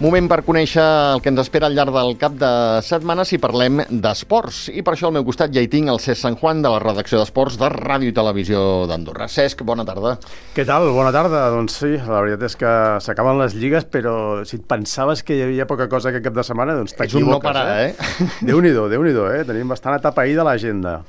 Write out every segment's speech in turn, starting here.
Moment per conèixer el que ens espera al llarg del cap de setmana si parlem d'esports. I per això al meu costat ja hi tinc el Cesc San Juan de la redacció d'Esports de Ràdio i Televisió d'Andorra. Cesc, bona tarda. Què tal? Bona tarda. Doncs sí, la veritat és que s'acaben les lligues, però si et pensaves que hi havia poca cosa aquest cap de setmana, doncs t'equivoques. És un no parar, eh? Déu-n'hi-do, Tenim bastant atapeïda l'agenda.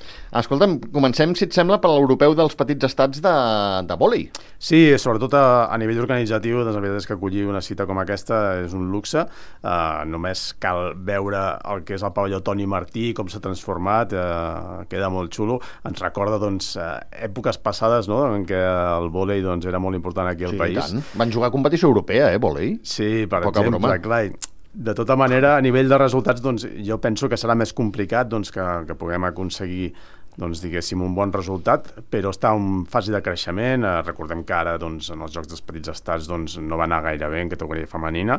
Escolta'm, comencem, si et sembla, per l'europeu dels petits estats de vòlei. Sí, sobretot a nivell organitzatiu, doncs la veritat és que acollir una cita com aquesta és un luxe. Només cal veure el que és el pavelló Toni Martí, com s'ha transformat, queda molt xulo. Ens recorda doncs, èpoques passades, no?, en què el vòlei doncs, era molt important aquí al país. Tant. Van jugar a competició europea, vòlei? Sí, per exemple, clar. De tota manera, a nivell de resultats, doncs, jo penso que serà més complicat doncs, que puguem aconseguir doncs, diguéssim, un bon resultat, però està en fase de creixement. Recordem que ara doncs, en els Jocs dels Petits Estats doncs, no va anar gaire bé en categoria femenina,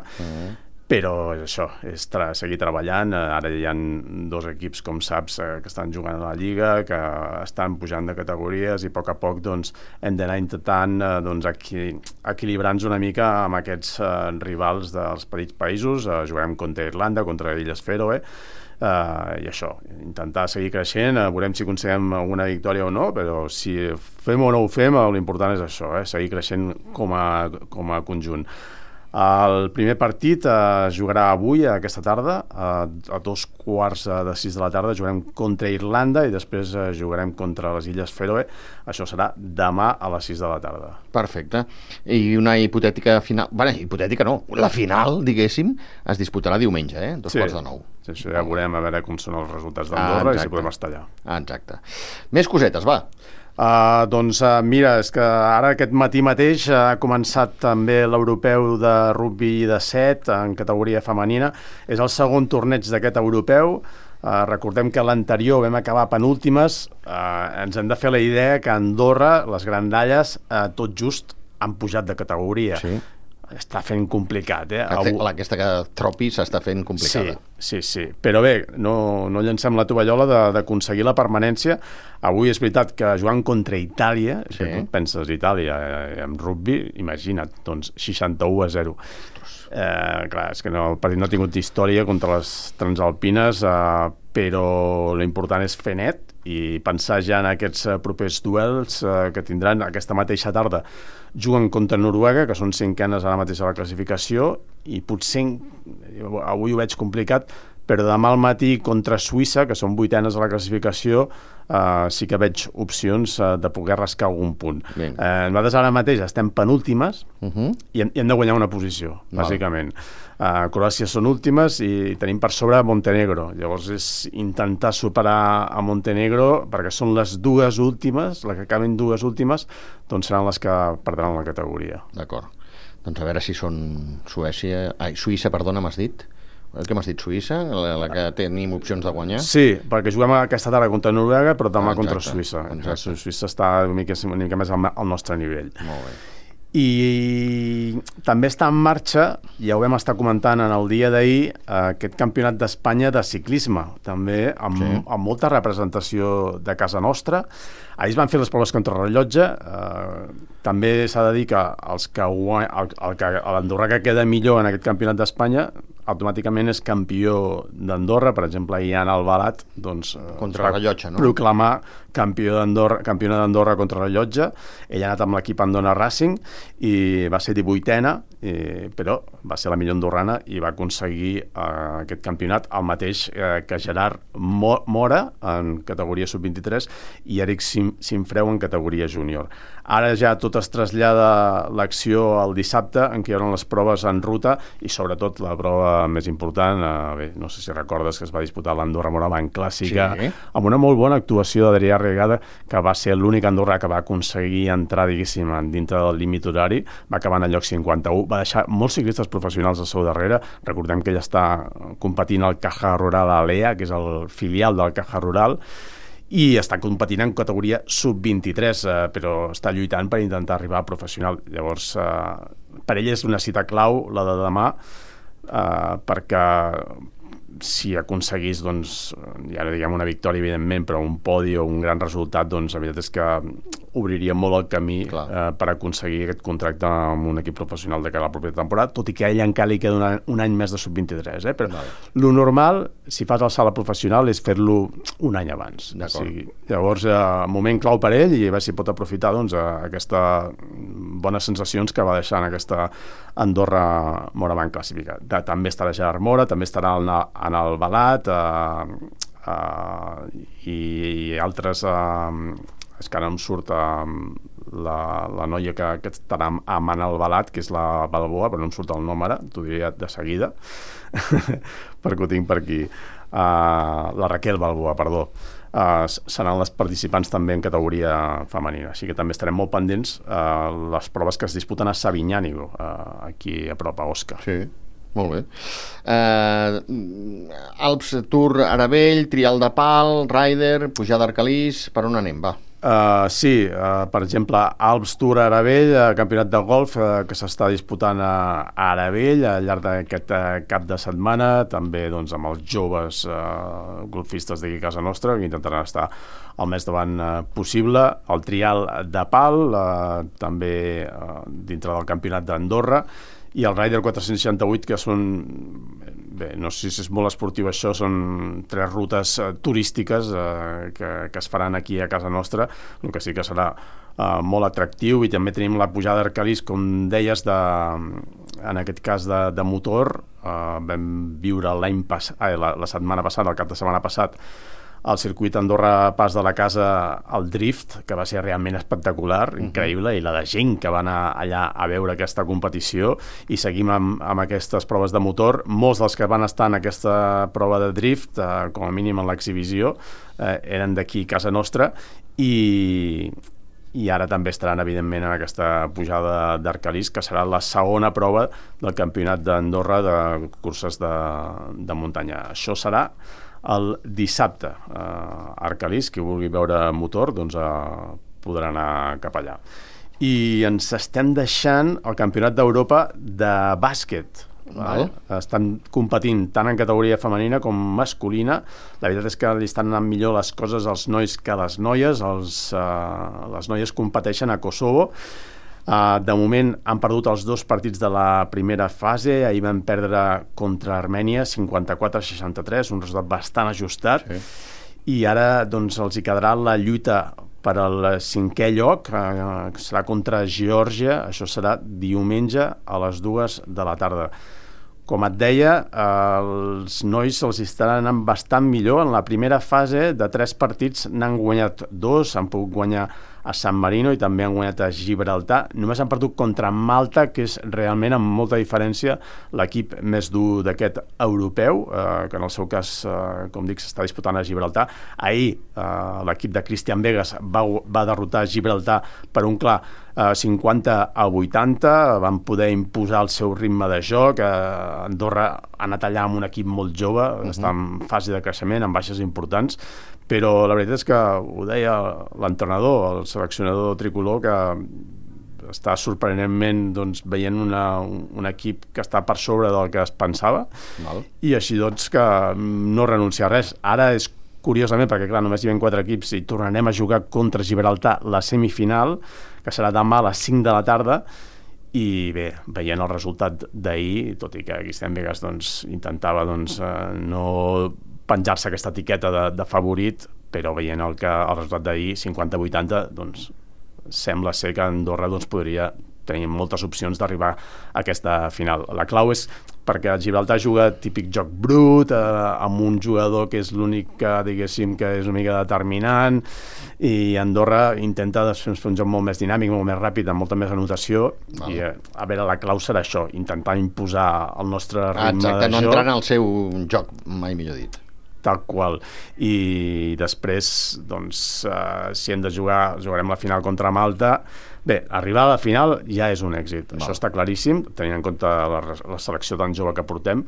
però és això, és seguir treballant. Ara hi ha 2 equips, com saps, que estan jugant a la Lliga, que estan pujant de categories i a poc doncs, hem d'anar intentant doncs, equilibrar-nos una mica amb aquests rivals dels petits països. Jugarem contra Irlanda, contra Illes Fèroe, i això, intentar seguir creixent. Veurem si aconseguim alguna victòria o no, però si fem o no ho fem, l'important és això, seguir creixent com a conjunt. El primer partit jugarà avui, aquesta tarda, a 6:15 de la tarda, jugarem contra Irlanda i després jugarem contra les Illes Fèroe. Això serà demà a les 6 de la tarda. Perfecte. I una hipotètica final... Bé, hipotètica no, la final, diguéssim, es disputarà diumenge, 8:45. Sí, això ja veurem a veure com són els resultats d'Andorra i si podem estar allà. Exacte. Més cosetes, va. Mira, és que ara aquest matí mateix ha començat també l'europeu de rugby de 7 en categoria femenina. És el segon torneig d'aquest europeu. Recordem que l'anterior vam acabar penúltimes. Ens hem de fer la idea que a Andorra les grandalles tot just han pujat de categoria. Sí. Està fent complicat, Aquesta tropi s'està fent complicada. Sí. Però bé, no llancem la tovallola d'aconseguir la permanència. Avui és veritat que jugant contra Itàlia, que tu penses Itàlia en rugby, imagina't, doncs 61-0. Clar, és que el partit no ha tingut història contra les transalpines, però l'important és fer net i pensar ja en aquests propers duels que tindran aquesta mateixa tarda. Juguen contra Noruega, que són 5enes ara mateix a la classificació, i potser avui ho veig complicat, però demà al matí contra Suïssa, que són 8enes a la classificació, sí que veig opcions de poder rascar algun punt. Nosaltres ara mateix estem penúltimes i hem de guanyar una posició, bàsicament. Croàcia són últimes i tenim per sobre Montenegro. Llavors és intentar superar a Montenegro, perquè són les 2 últimes, les que acaben 2 últimes, doncs seran les que perdran la categoria. D'acord. Doncs a veure si són Suïssa, perdona, m'has dit? Què m'has dit, Suïssa? La que tenim opcions de guanyar? Sí, perquè juguem aquesta tarda contra Noruega, però demà contra Suïssa. Suïssa està una mica més al nostre nivell. Molt bé. I també està en marxa, ja ho vam estar comentant en el dia d'ahir, aquest campionat d'Espanya de ciclisme, també amb molta representació de casa nostra. Ahir es van fer les proves contrarrellotge. També s'ha de dir que l'Andorra que queda millor en aquest campionat d'Espanya automàticament és campió d'Andorra. Per exemple, Ian Albalat contrarrellotge, no? Proclamar campiona d'Andorra contrarrellotge. Ell ha anat amb l'equip Andorra Racing i va ser 18ena, però va ser la millor andorrana i va aconseguir aquest campionat, el mateix que Gerard Mora en categoria sub-23 i Eric Simfreu en categoria júnior. Ara ja tot es trasllada l'acció al dissabte, en què hi haurà les proves en ruta i sobretot la prova més important, no sé si recordes que es va disputar l'Andorra Morabanc Clàssica, amb una molt bona actuació d'Adrià Regada, que va ser l'únic andorrà que va aconseguir entrar, diguéssim, dintre del límit horari, va acabar en el lloc 51, va deixar molts ciclistes professionals al seu darrere. Recordem que ell està competint al Caja Rural Alea, que és el filial del Caja Rural, i està competint en categoria sub-23, però està lluitant per intentar arribar a professional. Llavors, per ell és una cita clau, la de demà, perquè si aconseguís, doncs, ja no diguem una victòria, evidentment, però un podi o un gran resultat, doncs la veritat és que obriria molt el camí per aconseguir aquest contracte amb un equip professional de cara a la propera temporada, tot i que a ell encara li queda un any més de sub-23, però lo normal, si fas el salt a professional, és fer-lo un any abans. Llavors, moment clau per ell, i a veure si pot aprofitar aquestes bones sensacions que va deixar en aquesta Andorra Morabanc classifica. També estarà Gerard Mora, també estarà en el Balat, i altres... és que ara em surt la noia que estarà amb Anna Albalat, que és la Balboa, però no em surt el nom ara, t'ho diria de seguida, perquè ho tinc per aquí. La Raquel Balboa, perdó. Seran les participants també en categoria femenina, així que també estarem molt pendents les proves que es disputen a Sabinyànigo, aquí a prop, a Osca. Sí. Molt bé. Alps Tour Aravell, Trial de Pal, Rider, Pujada Arcalís, per on anem, va? Sí, per exemple, Alps Tour Aravell, campionat de golf que s'està disputant a Aravell al llarg d'aquest cap de setmana, també doncs, amb els joves golfistes d'aquí a casa nostra, que intentaran estar el més davant possible. El Trial de Pal, també dintre del campionat d'Andorra, i el Rider 468, que són, bé, no sé si és molt esportiu això, són 3 rutes turístiques que es faran aquí a casa nostra, el que sí que serà molt atractiu. I també tenim la pujada d'Arcalís, com deies, en aquest cas de motor. Vam viure la setmana passada, el cap de setmana passat, al circuit Andorra Pas de la Casa, el drift, que va ser realment espectacular, increïble, i la de gent que va anar allà a veure aquesta competició, i seguim amb aquestes proves de motor. Molts dels que van estar en aquesta prova de drift, com a mínim en l'exhibició, eren d'aquí a casa nostra, i ara també estaran, evidentment, en aquesta pujada d'Arcalís, que serà la segona prova del campionat d'Andorra de curses de muntanya. Això serà el dissabte. Arcalís, qui vulgui veure motor, doncs podrà anar cap allà. I ens estem deixant el campionat d'Europa de bàsquet. Estan competint tant en categoria femenina com masculina. La veritat és que li estan anant millor les coses als nois que a les noies. Les noies competeixen a Kosovo. De moment han perdut els 2 partits de la primera fase. Ahir van perdre contra Armènia 54-63, un resultat bastant ajustat. I ara doncs, els hi quedarà la lluita per al 5è lloc, que serà contra Geòrgia. Això serà diumenge a les 2 de la tarda. Com et deia, els nois els estaran anant bastant millor. En la primera fase de 3 partits n'han guanyat 2, han pogut guanyar a San Marino i també han guanyat a Gibraltar. Només han perdut contra Malta, que és realment, amb molta diferència, l'equip més dur d'aquest europeu, que en el seu cas, com dic, s'està disputant a Gibraltar. Ahir l'equip de Christian Vegas va derrotar Gibraltar per un clar 50-80, van poder imposar el seu ritme de joc. Andorra ha anat allà amb un equip molt jove, està en fase de creixement, amb baixes importants, però la veritat és que ho deia l'entrenador, el seleccionador tricolor, que està sorprenentment doncs, veient un equip que està per sobre del que es pensava. I així doncs que no renuncia a res. Ara és curiosament, perquè clar, només hi ha 4 equips i tornarem a jugar contra Gibraltar la semifinal, que serà demà a les 5 de la tarda, i bé, veient el resultat d'ahir, tot i que Christian Vegas doncs, intentava no penjar-se aquesta etiqueta de favorit, però veient el resultat d'ahir, 50-80, doncs sembla ser que Andorra doncs, podria tenir moltes opcions d'arribar a aquesta final. La clau és perquè Gibraltar juga típic joc brut, amb un jugador que és l'únic que, diguéssim, que és una mica determinant, i Andorra intenta fer un joc molt més dinàmic, molt més ràpid, amb molta més anotació, i a veure, la clau serà això, intentar imposar el nostre ritme de joc. No entrar en el seu joc, mai millor dit. Tal qual. I després, doncs, si hem de jugar, jugarem la final contra Malta. Bé, arribar a la final ja és un èxit. Això està claríssim, tenint en compte la selecció tan jove que portem.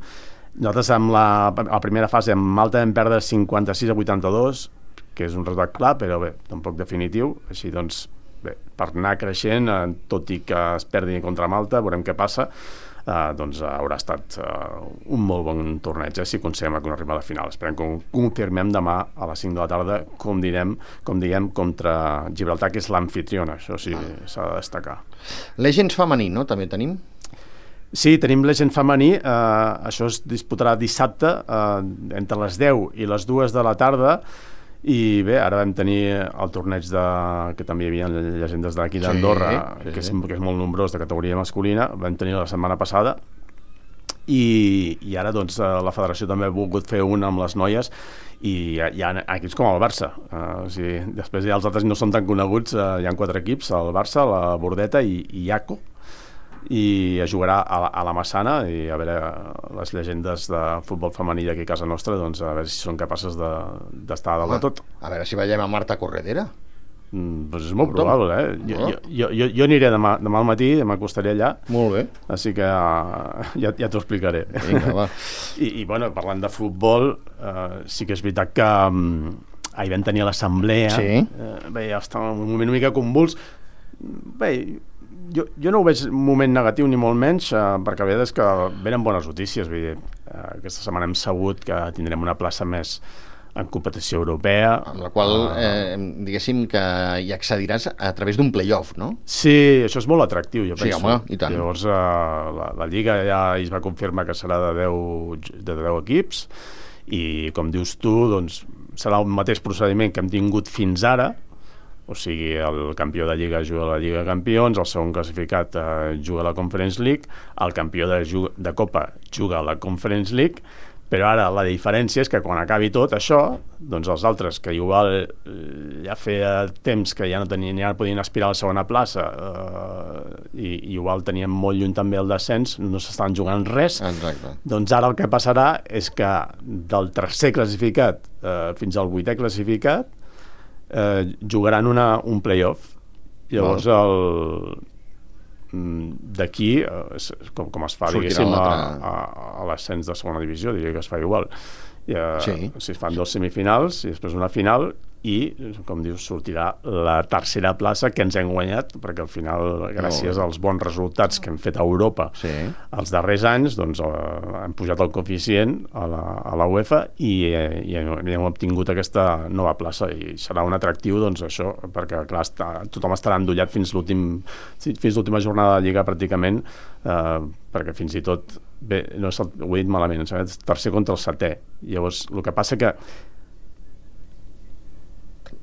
Nosaltres, amb la primera fase, amb Malta vam perdre 56-82, que és un resultat clar, però bé, tampoc definitiu. Així doncs, bé, per anar creixent, tot i que es perdi contra Malta, veurem què passa. doncs haurà estat un molt bon torneig, si aconseguim arribar a la final. Esperem que ho confirmem demà a les 5 de la tarda, com diguem, contra Gibraltar, que és l'amfitriona, això sí s'ha de destacar. Legends femení, no? També tenim? Sí, tenim Legend femení, això es disputarà dissabte entre les 10 i les 2 de la tarda, i bé, ara vam tenir el torneig que també hi havia llegendes d'aquí d'Andorra, que és molt nombrós, de categoria masculina, vam tenir la setmana passada, i ara doncs la federació també ha volgut fer una amb les noies, i hi ha equips com el Barça, després ja els altres no són tan coneguts, hi ha 4 equips, el Barça, la Bordeta i Iaco, i jugarà a la Massana, i a veure les llegendes de futbol femení d'aquí a casa nostra, doncs a veure si són capaces d'estar a dalt de tot. A veure si veiem a Marta Corredera. Doncs és molt probable, jo aniré demà al matí, m'acostaré allà. Molt bé. Així que ja t'ho explicaré. Vinga, va. I bueno, parlant de futbol, sí que és veritat que ahir vam tenir l'assemblea, bé, ja estava en un moment una mica convuls. Bé, jo no ho veig un moment negatiu ni molt menys, perquè a vegades que venen bones notícies. Vull dir, aquesta setmana hem sabut que tindrem una plaça més en competició europea, amb la qual diguéssim que hi accediràs a través d'un play-off, no? Sí, això és molt atractiu, jo penso. Sí, home, i tant. Llavors la Lliga ja es va confirmar que serà de 10 equips, i com dius tu, doncs serà el mateix procediment que hem tingut fins ara. O sigui, el campió de Lliga juga a la Lliga de Campions, el segon classificat juga a la Conference League, el campió de Copa juga a la Conference League, però ara la diferència és que quan acabi tot això, doncs els altres, que igual ja feia temps que ja no podien aspirar a la segona plaça, i igual tenien molt lluny també el descens, no s'estan jugant res. Exacte. Doncs ara el que passarà és que del tercer classificat fins al 8è classificat jugaran un play-off. Llavors d'aquí com es fa, diguéssim, a l'ascens de segona divisió, diria que es fa igual. Si es fan 2 semifinals i després una final, i, com dius, sortirà la tercera plaça que ens hem guanyat, perquè al final, gràcies als bons resultats que hem fet a Europa els darrers anys, doncs hem pujat el coeficient a la UEFA i hem obtingut aquesta nova plaça, i serà un atractiu, doncs això, perquè clar, tothom estarà endollat fins l'última jornada de Lliga pràcticament, perquè fins i tot, bé, no ho he dit malament, és tercer contra el 7è. Llavors, el que passa que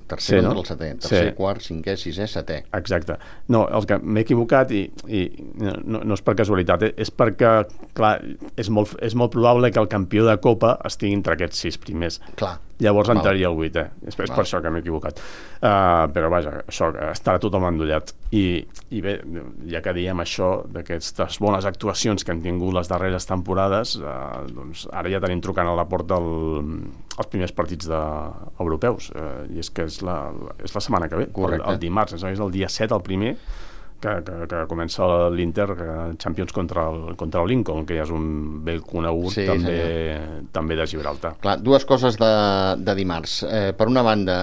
tercer contra el 7è, tercer, quart, 5è, 6è, 7è. Exacte. No, el que m'he equivocat, i no és per casualitat, és perquè, clar, és molt probable que el campió de Copa estigui entre aquests 6 primers. Clar. Llavors entraria el 8è. És per això que m'he equivocat. Però vaja, això, estarà tothom endollat. I bé, ja que diem això, d'aquestes bones actuacions que han tingut les darreres temporades, doncs ara ja tenim trucant a la porta els primers partits europeus, i és que és la setmana que ve, el dimarts, és el dia 7 el primer, que comença l'Inter Champions contra el Lincoln, que ja és un vell conegut també de Gibraltar. Clar, dues coses de dimarts. Per una banda,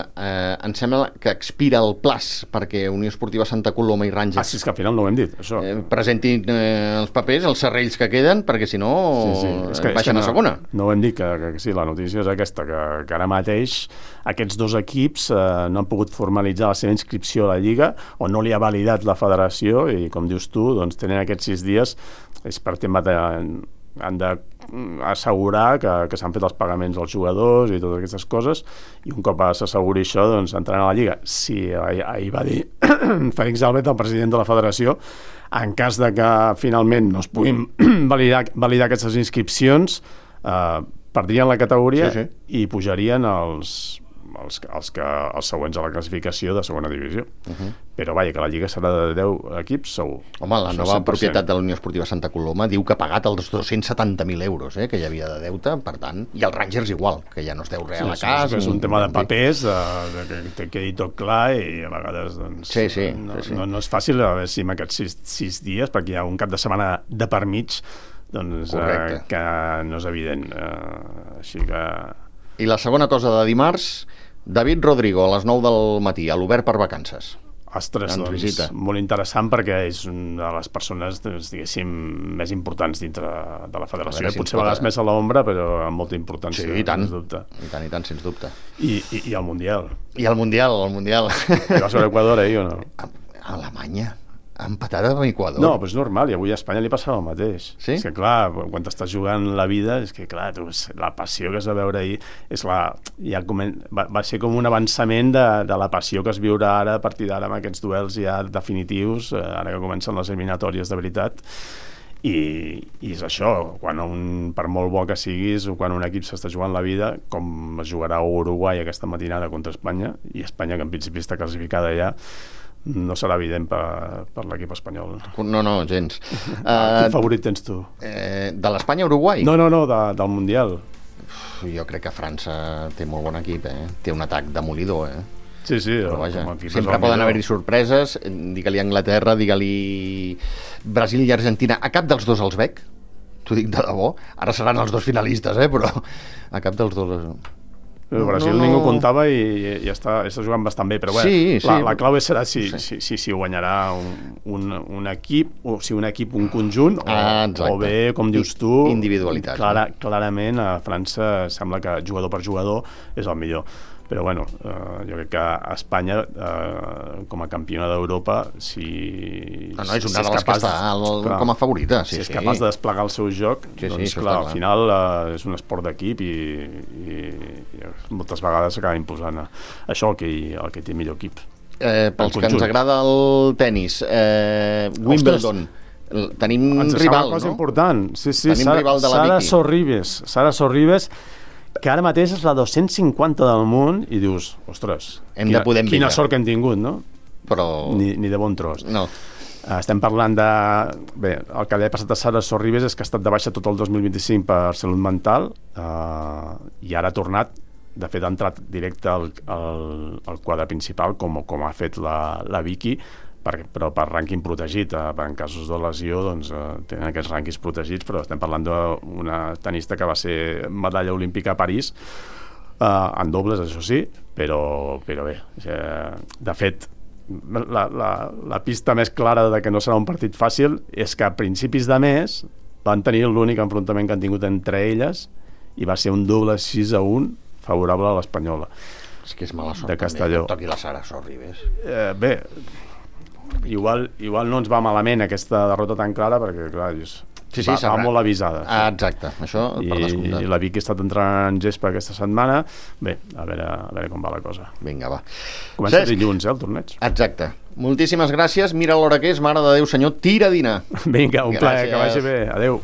em sembla que expira el plaç perquè Unió Esportiva Santa Coloma i Rangers... Sí, és que al final no ho hem dit, això. Presentin els papers, els serrells que queden, perquè si no baixen a segona. No ho hem dit, que sí, la notícia és aquesta, que ara mateix aquests 2 equips no han pogut formalitzar la seva inscripció a la Lliga, o no li ha validat la federació, i com dius tu, doncs tenen aquests 6 dies, és per tema han d'assegurar que s'han fet els pagaments als jugadors i totes aquestes coses, i un cop s'asseguri això, doncs entraran a la Lliga. Sí, ahir va dir Félix Albert, el president de la federació, en cas de que finalment no es puguin validar aquestes inscripcions, perdrien la categoria i pujarien els següents a la classificació de segona divisió. Però vaja, que la Lliga serà de 10 equips, segur. Home, la nova propietat de la Unió Esportiva Santa Coloma diu que ha pagat els 270.000 euros que hi havia de deute, per tant, i els Rangers igual, que ja no es deu res a la casa. És un tema de papers, que quedi tot clar, i a vegades no és fàcil, a veure si en aquests 6 dies, perquè hi ha un cap de setmana de per mig, doncs que no és evident. Així que... I la segona cosa de dimarts, David Rodrigo, a les 9 del matí, a l'Obert per vacances. Ostres, ens doncs, visita. molt interessant perquè és una de les persones, diguéssim, més importants dintre de la federació. Si Potser a vegades més a l'ombra, però amb molta importància, sí, i tant, sens dubte. i tant, sens dubte. I el Mundial. I el Mundial. I vas veure Equador ahir o no? Alemanya ha empatat amb Equador. No, però és normal, i avui a Espanya li passava el mateix. Sí? És que, clar, quan t'estàs jugant la vida, és que, clar, la passió que es va veure ahir és va ser com un avançament de la passió que es viurà ara a partir d'ara amb aquests duels ja definitius, ara que comencen les eliminatòries de veritat. I és això, per molt bo que siguis o quan un equip s'està jugant la vida, com es jugarà a Uruguai aquesta matinada contra Espanya, i Espanya, que en principi està classificada ja, no serà evident per l'equip espanyol. No, gens. Quin favorit tens tu? De l'Espanya-Uruguai? No, del Mundial. Jo crec que França té molt bon equip, té un atac demolidor, Sí, però vaja, sempre poden haver-hi sorpreses, digue-li Anglaterra, digue-li Brasil i Argentina, a cap dels dos els veig, t'ho dic de debò, ara seran els dos finalistes, però a cap dels dos... El Brasil ningú comptava i està jugant bastant bé, però bé, la clau serà si guanyarà un equip, o si un equip, un conjunt, o bé, com dius tu, individualitat. Clarament a França sembla que jugador per jugador és el millor. Però bueno, jo crec que a Espanya, com a campiona d'Europa, és una de les que està com a favorita. Si és capaç de desplegar el seu joc, doncs clar, al final és un esport d'equip i moltes vegades s'acaba imposant això el que té millor equip. Pels que ens agrada el tennis, Wimbledon, tenim rival, no? Cosa important. Sí, tenim rival de la Vicky. Sara Sorribes, que ara mateix és la 250 del món, i dius, ostres, quina sort que hem tingut, no? Però... Ni de bon tros. No. Estem parlant de... Bé, el que li ha passat a Sara Sorribes és que ha estat de baixa tot el 2025 per salut mental, i ara ha tornat, de fet ha entrat directe al quadre principal, com ha fet la Vicky, però per rànquing protegit. En casos de lesió doncs, tenen aquests rànquings protegits, però estem parlant d'una tenista que va ser medalla olímpica a París, en dobles, això sí, però bé, de fet la pista més clara de que no serà un partit fàcil és que a principis de mes van tenir l'únic enfrontament que han tingut entre elles i va ser un doble 6-1 favorable a l'Espanyola. És que és mala sort de Castelló. També, toqui la Sara Sorribes. Bé, igual no ens va malament aquesta derrota tan clara, perquè clar, va molt avisada. Exacte, això per descomptat. I la Vicky ha estat entrant en gespa aquesta setmana. Bé, a veure com va la cosa. Vinga, va. Comença dilluns, el torneig. Exacte. Moltíssimes gràcies. Mira l'hora que és, mare de Déu, senyor, tira a dinar. Vinga, un plaer, que vagi bé. Adéu.